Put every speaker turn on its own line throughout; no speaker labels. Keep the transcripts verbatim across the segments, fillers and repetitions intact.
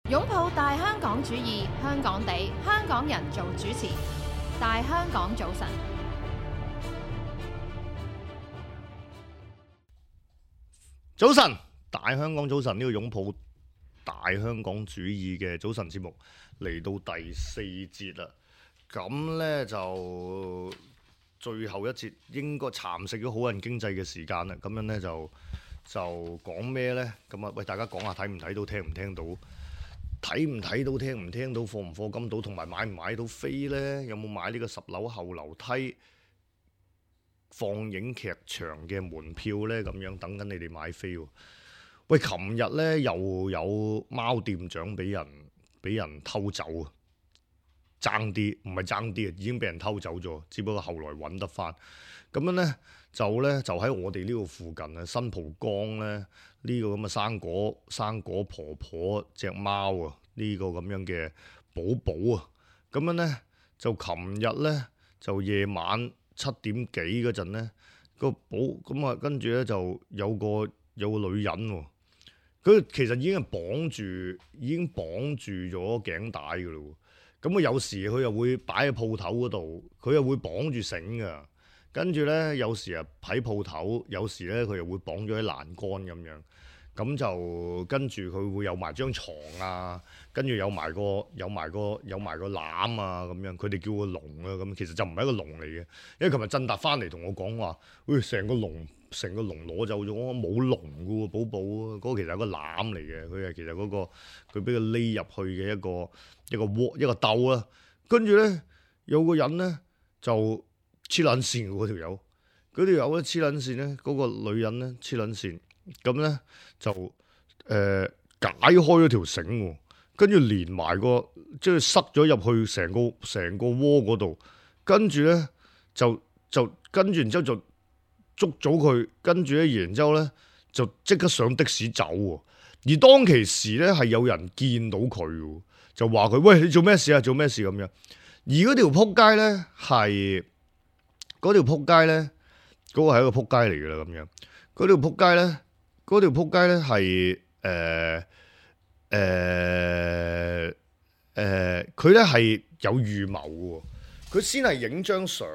擁抱大香港主義，香港地，香港人做主持。大香港早晨，
早晨，大香港早晨，呢個擁抱大香港主義嘅早晨節目嚟到第四節啦。咁呢，就最後一節應該蠶食咗好人經濟嘅時間啦。咁樣呢，就就講咩呢？咁啊，喂，大家講下睇唔睇到，聽唔聽到？睇唔睇到，聽唔聽到，課唔課金到，同埋買唔買到飛呢？有冇買呢個十樓後樓梯放映劇場嘅門票呢？咁樣等緊你哋買飛喎。喂，琴日呢又有貓店長俾人俾人偷走啊！爭啲唔係爭啲啊，已經俾人偷走咗，只不過後來揾得翻。咁樣呢，就呢，就喺我哋呢度附近啊，新蒲崗呢，呢、這個咁嘅生果生果婆婆隻貓啊，呢、這個咁樣嘅寶寶啊，咁樣呢，就琴日呢，就夜晚七點幾嗰陣呢，個寶咁啊，跟住呢，就有個有個女人喎、啊，佢其實已經係綁住已經綁住咗頸帶㗎咯。咁啊，有時佢又會擺喺鋪頭嗰度，佢又會綁住繩噶。跟住咧，有時啊喺鋪頭，有時咧佢又會綁咗喺欄杆咁樣。咁就跟住佢會有埋張床啊，跟住有埋個有埋個有埋個籃啊咁樣。佢哋叫個籠啊咁，其實就唔係一個籠嚟嘅。因為琴日振達翻嚟同我講話，喂、哎，成個籠成個籠攞走咗，冇籠嘅喎，寶寶嗰、嗰個其實係個籃嚟嘅。佢係其實嗰、嗰個佢俾佢匿入去嘅一個一個窩一個竇啦。跟住咧有個人咧就黐撚線嗰條友，嗰條友咧黐撚線咧，嗰、嗰個女人咧黐撚線。咁咧就誒、呃、解開咗條繩喎，跟住連埋個即係塞咗入去成個成個窩嗰度，跟住咧就就跟住然之後就捉咗佢，跟住咧然之後咧就即刻上的士走喎。而當其時咧係有人見到佢喎，就話佢，喂，你做咩事啊？做咩事咁樣？而嗰條撲街咧係嗰條撲街咧嗰個係一個撲街嚟㗎啦咁樣。嗰條撲街咧。嗰條撲街咧係誒誒誒，佢咧係有預謀嘅。佢先係影張相，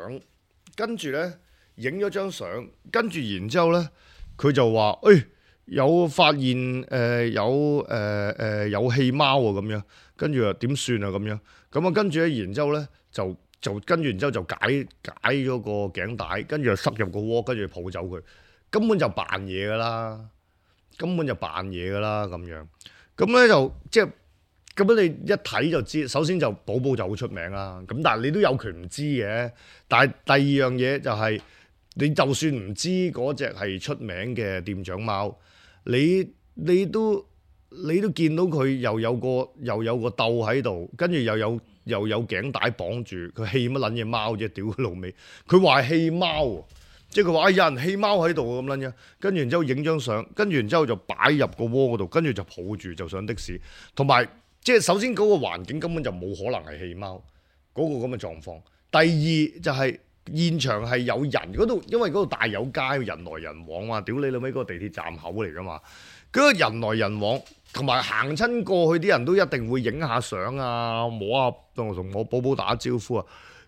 跟住咧影咗張相，跟住然之後咧，佢就話：誒、哎、有發現誒、呃、有誒誒、呃呃、有棄貓喎咁樣。跟住啊點算啊咁樣？咁啊跟住咧，然之後咧就就跟住然之後就解解咗個頸帶，跟住就塞入個窩，跟住抱走佢。根本就扮嘢噶啦！根本就扮嘢噶啦咁樣，咁咧就即係咁樣，你一睇就知。首先就寶寶就好出名啦，咁但係你都有權唔知嘅。但係第二樣嘢就係、是，你就算唔知嗰隻係出名嘅店長貓，你你都你都見到佢又有個又有個竇喺度，跟住又有又有頸帶綁住，佢棄乜撚嘢貓啫？屌佢老味，佢話係棄貓喎。即係佢話啊，有人棄貓喺度咁撚樣，跟住然之後影張相，跟住然之後就擺入個窩嗰度，跟住就抱住就上的士。同埋即係首先嗰個環境根本就冇可能係棄貓嗰個咁嘅狀況。第二就係現場係有人嗰度，因為嗰度大有街，人來人往嘛。屌你老味，嗰個地鐵站口嚟㗎嘛，嗰個人來人往，同埋行親過去啲人都一定會影下相啊，摸下同同我寶寶打招呼啊。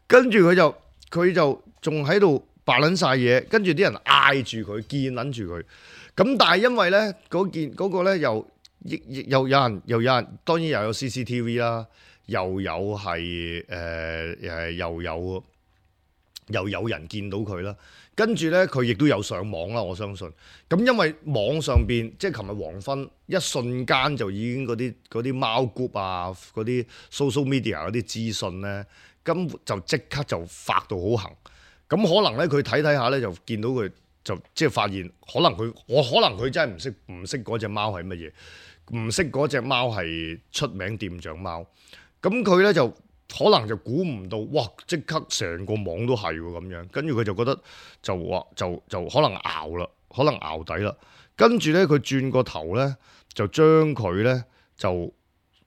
跟住佢就佢就仲喺度白撚晒嘢，跟住啲人嗌住佢，見撚住佢。咁但係因為咧嗰件嗰、嗰個咧又亦亦又有人又有人，當然又有 C C T V 啦，又有係誒誒又有又有人見到佢啦。跟住咧佢亦都有上網啦，我相信。咁因為網上邊即係琴日黃昏一瞬間就已經嗰啲嗰啲貓 group 啊，嗰啲 social media 嗰啲資訊咧，根本就即刻就發到好行。咁可能咧，佢睇睇下咧，就見到佢就即係發現，可能佢我可能佢真係唔識唔識嗰隻貓係乜嘢，唔識嗰隻貓係出名店長貓。咁佢咧就可能就估唔到，哇！即刻成個網都係喎咁樣。跟住佢就覺得就話就就可能熬啦，可能熬底啦。跟住咧，佢轉個頭咧，就將佢咧就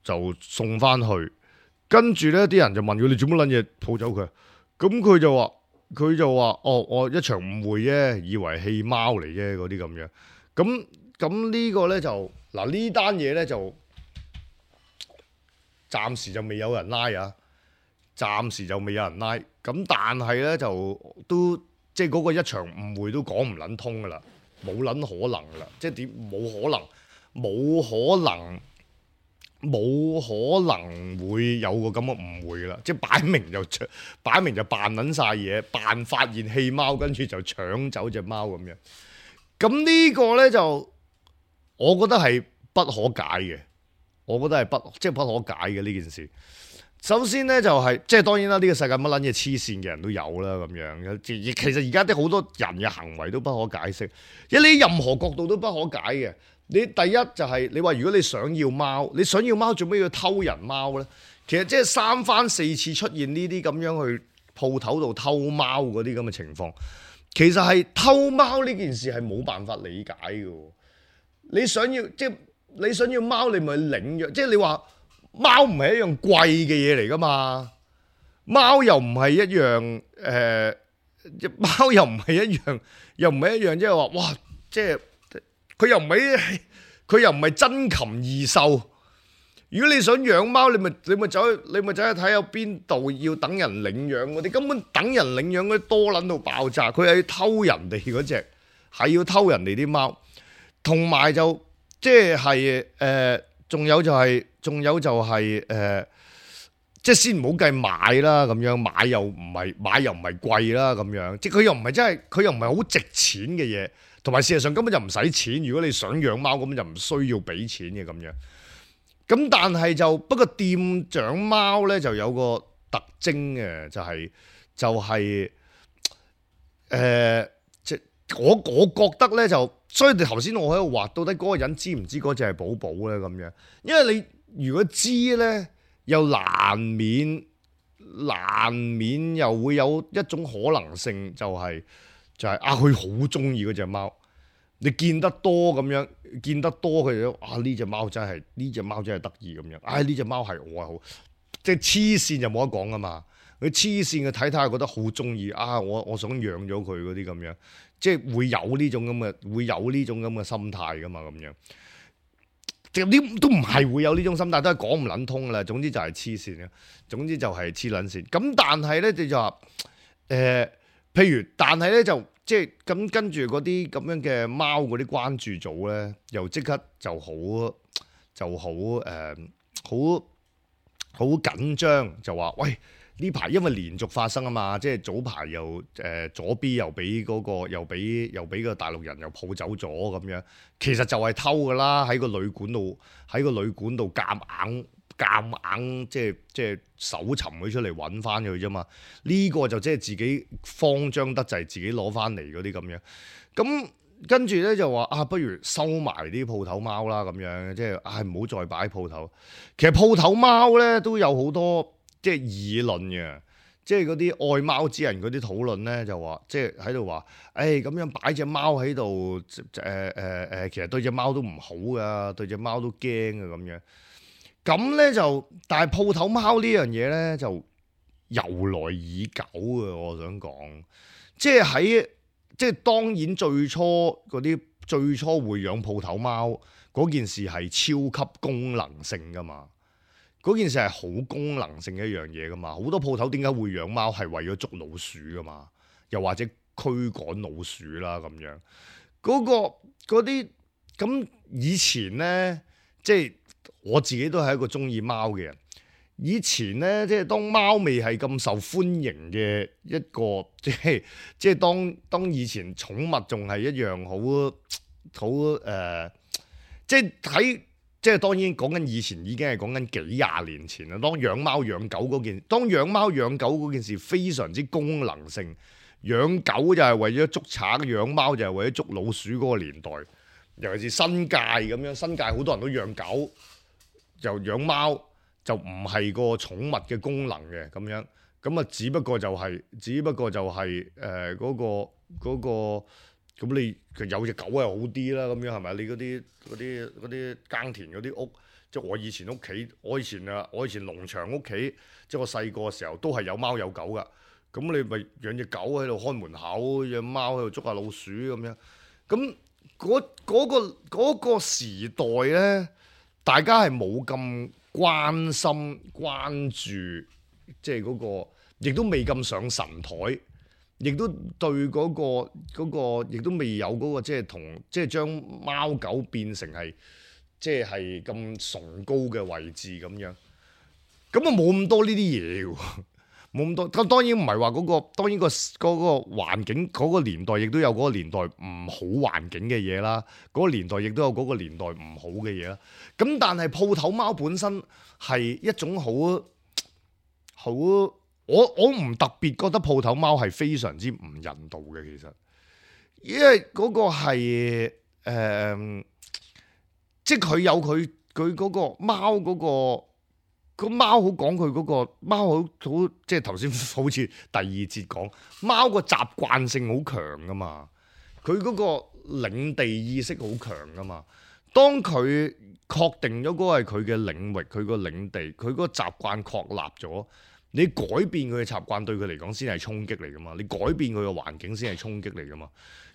就送翻去。跟住咧，啲人就問佢：你做乜撚嘢抱走佢？咁佢就話。佢就話：哦，我一場誤會啫，以為棄貓嚟啫，嗰啲咁樣。咁咁呢個咧就嗱呢單嘢咧就暫時就未有人拉啊，暫時就未有人拉。咁但係咧就都即係嗰個一場誤會都講唔撚通噶啦，冇撚可能噶啦，即係點冇可能，冇可能。冇可能會有個咁嘅誤會啦，即係擺明就擺明就扮撚晒嘢，扮發現棄貓，跟住就搶走隻貓咁樣。咁呢個呢，就，我覺得係不可解嘅。我覺得係不即係不可解嘅呢件事。首先呢，就係、是、即係當然啦，呢、這個世界乜撚嘢黐線嘅人都有啦咁樣。其實而家啲好多人嘅行為都不可解釋，因為你任何角度都不可解嘅。你第一就係你話如果你想要貓，你想要貓做咩要偷人貓呢？其實即係三番四次出現呢啲咁樣去鋪頭度偷貓嗰啲咁嘅情況，其實係偷貓呢件事係冇辦法理解嘅。你想要即係你想要貓，你咪領養，即係你話貓唔係一樣貴嘅嘢嚟噶嘛？貓又唔係一樣誒、呃，貓又唔係一樣，又唔係一樣，即係話哇，即係。佢又唔係佢又唔係珍禽異獸。如果你想養貓，你咪你咪走去你咪走去睇下邊度要等人領養嗰啲，根本等人領養嗰啲多撚到爆炸。佢係要偷人哋嗰隻，係要偷人哋啲貓。同埋就即係誒，仲、呃、有就係、是，仲有就係、是、誒、呃，即係先唔好計買啦，咁樣買又唔係買又唔係貴啦，咁樣即係佢又唔係真係佢又唔係好值錢嘅嘢。同埋事實上根本就唔使錢，如果你想養貓，根本就唔需要俾錢嘅咁樣。咁但係就不過店長貓咧就有個特徵嘅，就係、是、就係、是、誒、呃，即我我覺得咧就，所以你頭先我喺度話，到底嗰個人知唔知嗰隻係寶寶咧咁樣？因為你如果知咧，又難免難免又會有一種可能性、就是，就係。就係、是、啊，佢好中意嗰隻貓，你見得多咁樣，見得多佢就啊呢隻貓真係呢隻貓真係得意咁樣，唉呢隻貓係我係好，即係黐線就冇得講噶嘛，佢黐線嘅睇睇下覺得好中意啊，我我想養咗佢嗰啲咁樣，即係會有呢種咁嘅會有呢種咁嘅心態噶嘛咁樣，即係啲都唔係會有呢種心態，都係講唔撚通噶啦。總之就係黐線嘅，總之就係黐撚線。咁但係咧你就話誒。呃譬如，但係咧就即係咁跟住嗰啲咁樣嘅貓嗰啲關注組咧，又即刻就好就好誒，好好緊張，就話喂呢排因為連續發生啊嘛，即係早排又誒、呃、左 B 又俾嗰、嗰個又俾又俾個大陸人又抱走咗咁樣，其實就係偷噶啦，喺個旅館度喺個旅館度夾硬。夾硬即係即係搜尋佢出嚟揾翻佢啫嘛，呢、這個就即係自己慌張得滯，自己攞翻嚟嗰啲咁樣。咁跟住咧就話啊，不如收埋啲鋪頭貓啦咁樣，即係唉唔好再擺鋪頭。其實鋪頭貓咧都有好多即係議論嘅，即係嗰啲愛貓之人嗰啲討論咧就話，即係喺度話，誒咁樣擺隻貓喺度，誒誒誒，其實對隻貓都唔好噶，對隻貓都驚啊咁樣。咁咧就，但係鋪頭貓呢樣嘢咧就由來已久嘅，我想講，即係喺即係當然最初嗰啲最初會養鋪頭貓嗰件事係超級功能性噶嘛，嗰件事係好功能性嘅一樣嘢噶嘛，好多鋪頭點解會養貓係為咗捉老鼠噶嘛，又或者驅趕老鼠啦咁樣，嗰、嗰個嗰啲咁以前咧即係。我自己都係一個中意貓嘅人。以前咧，即係當貓未係咁受歡迎嘅一個，即係即係當當以前寵物仲係一樣好好誒，即係喺即係當然講緊以前已經係講緊幾廿年前啦。當養貓養狗嗰件，當養貓養狗嗰件事非常之功能性，養狗就係為咗捉賊，養貓就係為咗捉老鼠嗰個年代。尤其是新界咁樣，新界好多人都養狗。就養貓就唔係個寵物嘅功能嘅咁樣，咁啊只不過就係、是，只不過就係誒嗰個嗰、嗰個咁你有隻狗係好啲啦，咁樣係咪？你嗰啲嗰啲嗰啲耕田嗰啲屋，即係我以前屋企，我以前啊，我以前農場屋企，即係我細個嘅時候都係有貓有狗噶，咁你咪養隻狗喺度看門口，養貓喺度捉下老鼠咁樣，咁嗰嗰個嗰、嗰個時代咧。大家係冇咁關心關注，即係嗰個，亦都未咁上神台，亦都對嗰個嗰個，亦都未有嗰個即係同即係將貓狗變成係即係係咁崇高嘅位置咁樣，咁啊冇咁多呢啲嘢喎。冇咁多，咁當然唔係話嗰個，當然、個嗰、個環境嗰、個年代亦都有嗰個年代唔好環境嘅嘢啦，嗰、個年代亦都有嗰個年代唔好嘅嘢啦。咁但係鋪頭貓本身係一種好好，我我唔特別覺得鋪頭貓係非常之唔人道嘅，其實，因為嗰個係誒、呃，即係佢有佢佢嗰個貓嗰個。個貓好講佢嗰個貓好好，即係頭先好似第二節講貓個習慣性好強噶嘛，佢嗰個領地意識好強噶嘛。當佢確定咗嗰個係佢嘅領域，佢個領地，佢嗰個習慣確立咗，你改變佢嘅習慣對佢嚟講先係衝擊嚟噶嘛。你改變佢嘅環境先係衝擊嚟噶嘛。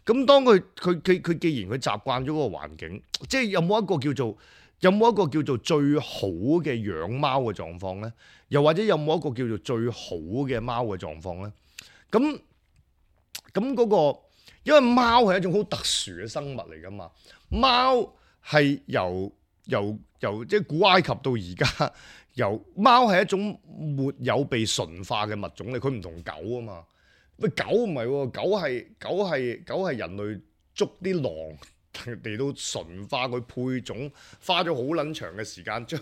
咁當佢佢佢佢既然佢習慣咗嗰個環境，即係有冇一個叫做？有冇一個叫做最好嘅養貓嘅狀況呢？又或者有冇一個叫做最好嘅貓嘅狀況呢？咁咁嗰個，因為貓係一種好特殊嘅生物嚟㗎嘛。貓係由由由即係古埃及到而家，由貓係一種沒有被馴化嘅物種嚟，佢唔同狗啊嘛。喂，狗唔係喎，狗係狗係狗係人類捉啲狼。嚟到馴化佢配種，花咗好撚長嘅時間，將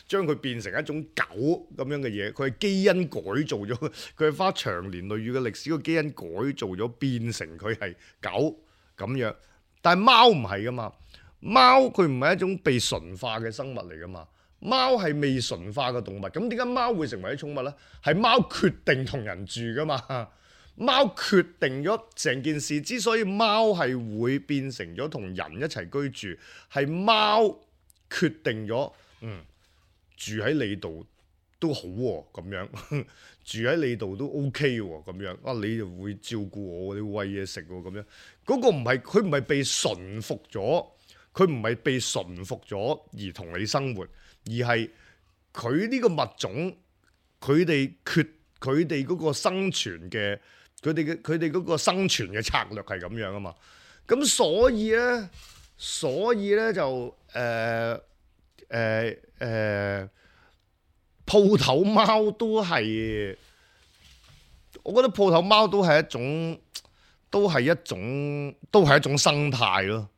將佢變成一種狗咁樣嘅嘢。佢係基因改造咗，佢係花長年累月嘅歷史個基因改造咗，變成佢係狗咁樣。但係貓唔係噶嘛，貓佢唔係一種被馴化嘅生物嚟噶嘛，貓係未馴化嘅動物。咁點解貓會成為啲寵物呢？係貓決定同人住噶嘛。貓決定咗成件事，之所以貓係會變成咗同人一齊居住，係貓決定咗，嗯，住喺你度都好喎、啊，咁樣住喺你度都 OK 喎、啊，咁樣啊，你就會照顧我，你會餵嘢食喎，咁樣嗰、嗰個唔係佢唔係被馴服咗，佢唔係被馴服咗而同你生活，而係佢呢個物種，佢哋決佢哋嗰個生存嘅。佢哋嘅佢哋嗰個生存嘅策略係咁樣啊嘛，咁所以咧，所以咧就誒誒誒鋪頭貓都係，我覺得鋪頭貓都係一種，都係一種，都係一種生態咯，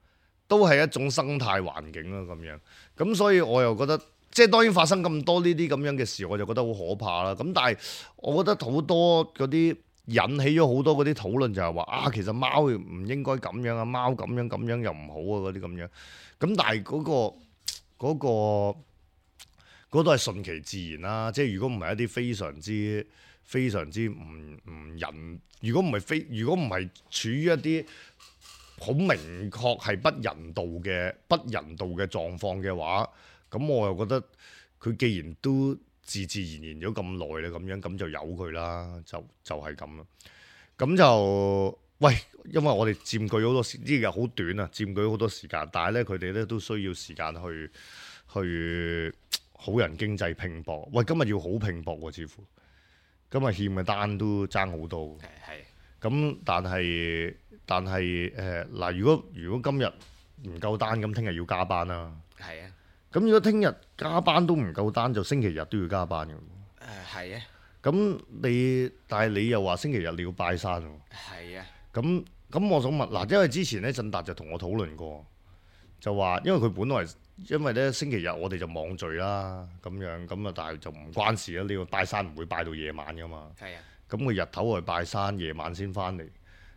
都係一種生態環境咯咁樣。咁所以我又覺得，即係當然發生咁多呢啲咁樣嘅事，我就覺得好可怕啦。咁但係我覺得好多嗰啲。引起咗好多嗰啲討論，就係話啊，其實貓唔應該咁樣啊，貓咁樣咁樣又唔好啊，嗰啲咁樣。咁但係嗰個嗰個嗰都係順其自然啦。即係如果唔係一啲非常之非常之唔唔人，如果唔係非，如果唔係處於一啲好明確係不人道嘅不人道嘅狀況嘅話，咁我又覺得佢既然都自自然然咗咁耐咧，咁樣咁就由佢啦，就就係咁啦。咁就喂，因為我哋佔據好多時，呢個好短啊，佔據好多時間，但係咧佢哋咧都需要時間去去好人經濟拼搏。喂，今日要好拼搏喎，似乎今日欠嘅單都爭好多。係咁，但係但係誒嗱，如果如果今日唔夠單，咁聽日要加班啦。係啊。咁如果聽日加班都唔夠單，就星期日都要加班嘅。誒係啊。咁你但係你又話星期日你要拜山喎。係啊。咁咁我想問嗱，因為之前咧振達就同我討論過，就話因為佢本來因為咧星期日我哋就網聚啦，咁樣咁啊，但係就唔關事啦。你要拜山唔會拜到夜晚噶嘛。係啊。咁佢日頭去拜山，夜晚先翻嚟。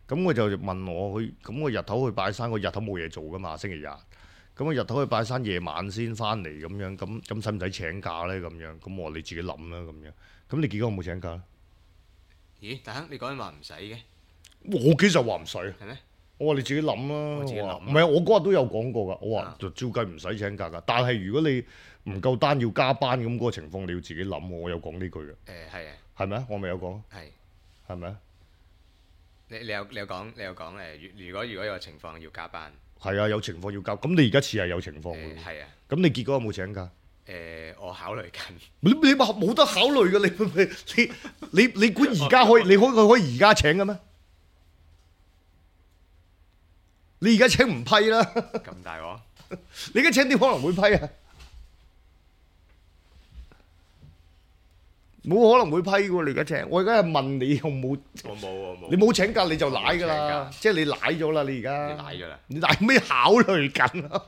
咁佢就問我佢，咁我日頭去拜山，我日頭冇嘢做噶嘛，星期日。咁我日頭去拜山，夜晚先翻嚟咁樣，咁咁使唔使請假咧？咁樣，咁我話你自己諗啦，咁樣。咁你結果有冇請假咧？咦，大亨，你講緊話唔使嘅？我其實話唔使。係咩？我話你自己諗啦。我自己諗。唔係啊，我嗰日都有講過㗎。我話就照計唔使請假㗎。但係如果你唔夠單要加班咁嗰個情況，你要自己諗。我有講呢句嘅。誒係啊。係咪啊？我咪有講。係。係咪啊？你你有你有講你有講誒？如如果如果有情況要加班。係啊，有情況要交。咁你而家似係有情況嘅。
係啊。
咁你結果有冇請假？
誒，我考慮緊。
你你話冇得考慮嘅，你你你你估而家可以？你可佢可以而家請嘅咩？你而家請唔批啦？
咁大鑊？
你而家請點可能會批啊？冇可能會批喎！你而家請，我而家係問你有冇？
我冇，我冇。
你冇請假你就賴㗎啦，即係你賴咗啦！你而家
你賴咗啦？
你賴咩考慮緊啊？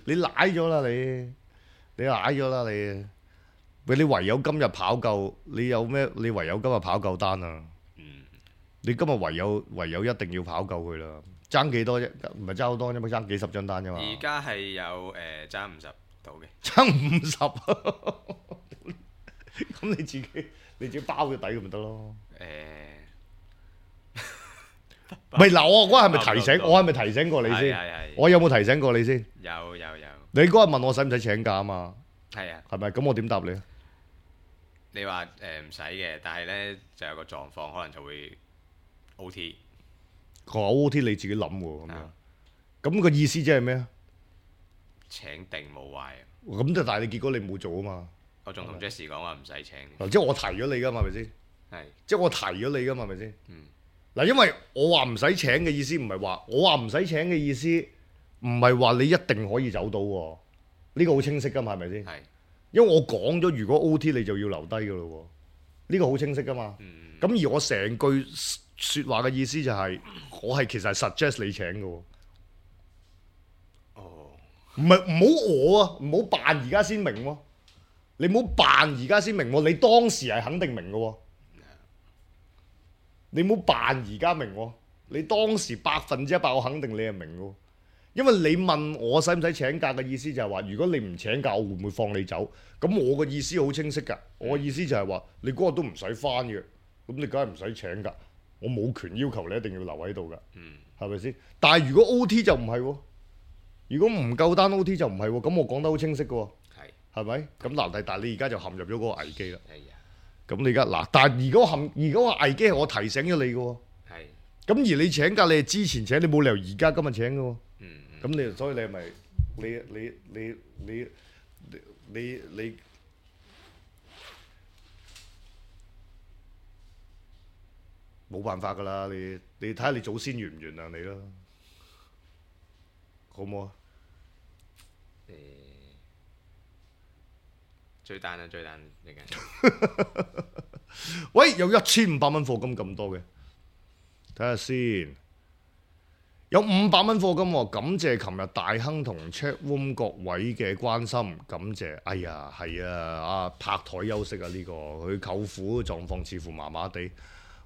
你賴咗啦你，你賴咗啦你。喂，你唯有今日跑夠，你有咩？你唯有今日跑夠單啊！
嗯。
你今日唯有唯有一定要跑夠佢啦。爭幾多啫？唔係爭好多啫嘛，爭幾十張單啫嘛。
而家係有誒爭五十到嘅。
爭五十，咁你自己你自己包個底咁咪得咯。
誒，
唔係嗱，我嗰日係咪提醒？我係咪提醒過你先？
係係係。
我有冇提醒過你先？
有有有。
你嗰日問我使唔使請假啊嘛？
係啊。
係咪？咁我點答你啊？
你話誒唔使嘅，但係咧就有個狀況，可能就會 O T。
個 O T 你自己諗喎，咁樣。咁個意思即係咩啊？
請定冇壞啊！
咁就但係你結果你冇做啊嘛。
我仲同 Jesse 講話唔使請。
即係我提咗你噶嘛，係咪先？
係。
即係我提咗你噶嘛，係咪先？
嗯。
嗱，因為我話唔使請嘅意思唔係話，我話唔使請嘅意思唔係話你一定可以走到喎。呢個好清晰噶嘛，係咪先？
係。
因為我講咗，如果 O T 你就要留低噶咯喎。呢個好清晰噶嘛。
嗯。
咁而我成句説話嘅意思就係，我係其實係 suggest 你請嘅喎。
哦。
唔係唔好我啊，唔好扮而家先明喎。你唔好扮而家先明喎，你當時係肯定明嘅喎。你唔好扮而家明喎，你當時百分之一百我肯定你係明嘅。因為你問我使唔使請假嘅意思就係話，如果你唔請假，我會唔會放你走？咁我嘅意思好清晰㗎，我嘅意思就係話，你嗰日都唔使返嘅，咁你梗係唔使請㗎。我冇權要求你一定要留喺度㗎，係咪先？但係如果 O T 就唔係喎，如果唔夠單 O T 就唔係喎，咁我講得好清晰嘅喎。係咪？咁嗱，但係你而家就陷入咗嗰個危機啦。係啊。咁你而家嗱，但係如果陷，如果個危機係我提醒咗你嘅喎。係。咁而你請假，你係之前請，你冇理由而家今日請嘅喎。嗯。咁你所以你係咪你你你你你你冇辦法㗎啦？你你睇下你祖先原唔原諒你啦，好唔好啊？
誒。追單啊！追單嚟緊。
喂，有一千五百蚊課金咁多嘅，睇下先。有五百蚊課金喎，感謝琴日大亨同 chat room 各位嘅關心，感謝。哎呀，係啊，啊拍台休息啊呢個，佢舅父狀況似乎麻麻地。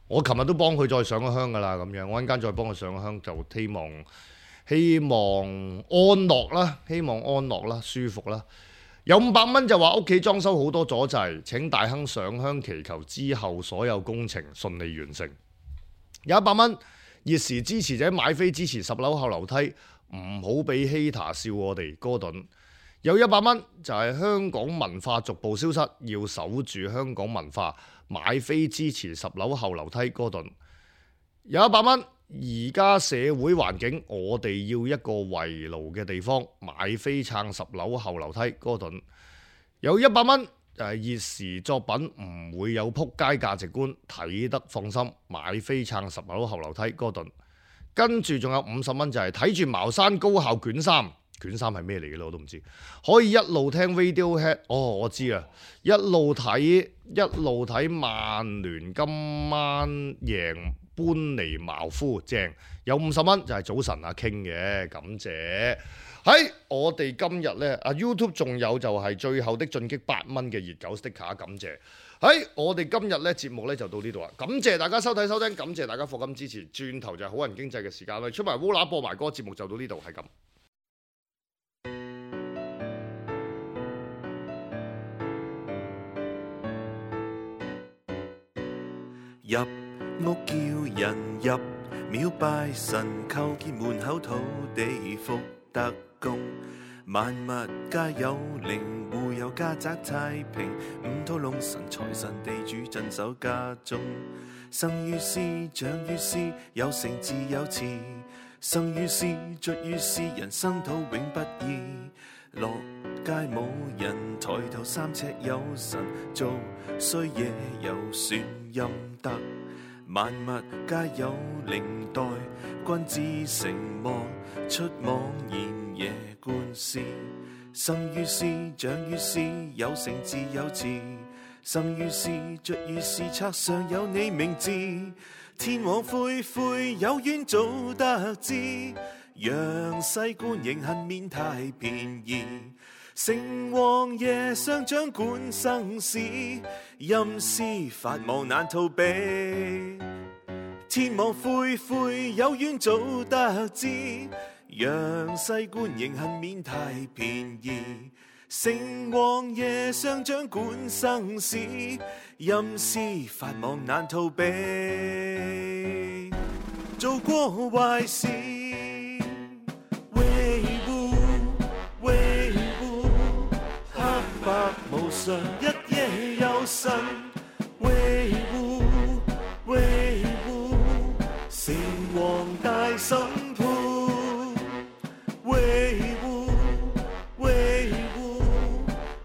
我琴日都幫佢再上咗香㗎啦，咁樣我陣間再幫佢上咗香，就希望希望安樂啦，希望安樂啦，舒服啦。有五百蚊就話屋企裝修好多阻滯，請大亨上香祈求之後所有工程順利完成。有一百蚊熱時支持者買飛支持十樓後樓梯，唔好俾 hater 笑我哋哥頓。有一百蚊就係香港文化逐步消失，要守住香港文化，買飛支持十樓後樓梯哥頓。有一百蚊。而家社會環境，我哋要一個圍爐嘅地方，買飛撐十樓後樓梯哥頓。有一百蚊就係熱時作品，唔會有撲街價值觀，睇得放心，買飛撐十樓後樓梯哥頓。跟住仲有五十蚊就係睇住茅山高校卷三，卷三係咩嚟嘅咧？我都唔知。可以一路聽 Radiohead， 哦，我知啊，一路睇一路睇曼聯今晚贏搬尼茅夫，正。有五十蚊就係早晨阿 King 嘅，感謝。喺我哋今日呢，啊 YouTube 仲有就係最後的進擊八蚊嘅熱狗 sticker，感謝。喺我哋今日呢節目呢就到呢度啦，感謝大家收睇收聽，感謝大家課金支持。轉頭就係好人經濟嘅時間啦，出埋烏乸播埋歌，節目就到呢度，係咁。
入屋叫人入廟拜神，叩見門口土地福德公，萬物皆有靈，戶有家宅太平，五土龍神財神地主鎮守家中，生於斯長於斯，有成自有詞，生於斯，卒於斯，人生土永不易。落街冇人，抬頭三尺有神，做衰嘢又算陰德。萬物皆有靈待，君子成魔，出妄言夜觀思。生於斯，長於斯，有成自有志。生於斯，卒於斯，冊上有你名字。天網恢恢，有緣早得知。陽世官刑恨免太便宜。成王爺上掌管生死，陰司法網難逃避。天網恢恢，有緣早得知。陽世官刑恨免太便宜。成王爺上掌管生死，陰司法網難逃避。做過壞事維護維護，黑白無常，一夜有神維護維護，成王大審判維護維護，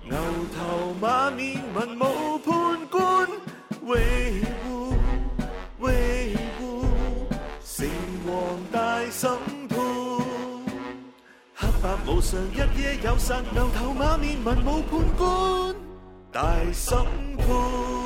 牛頭馬面文武判官維護維護，成王大審判，黑白無常，一夜有神，牛頭馬面文武判官大審判。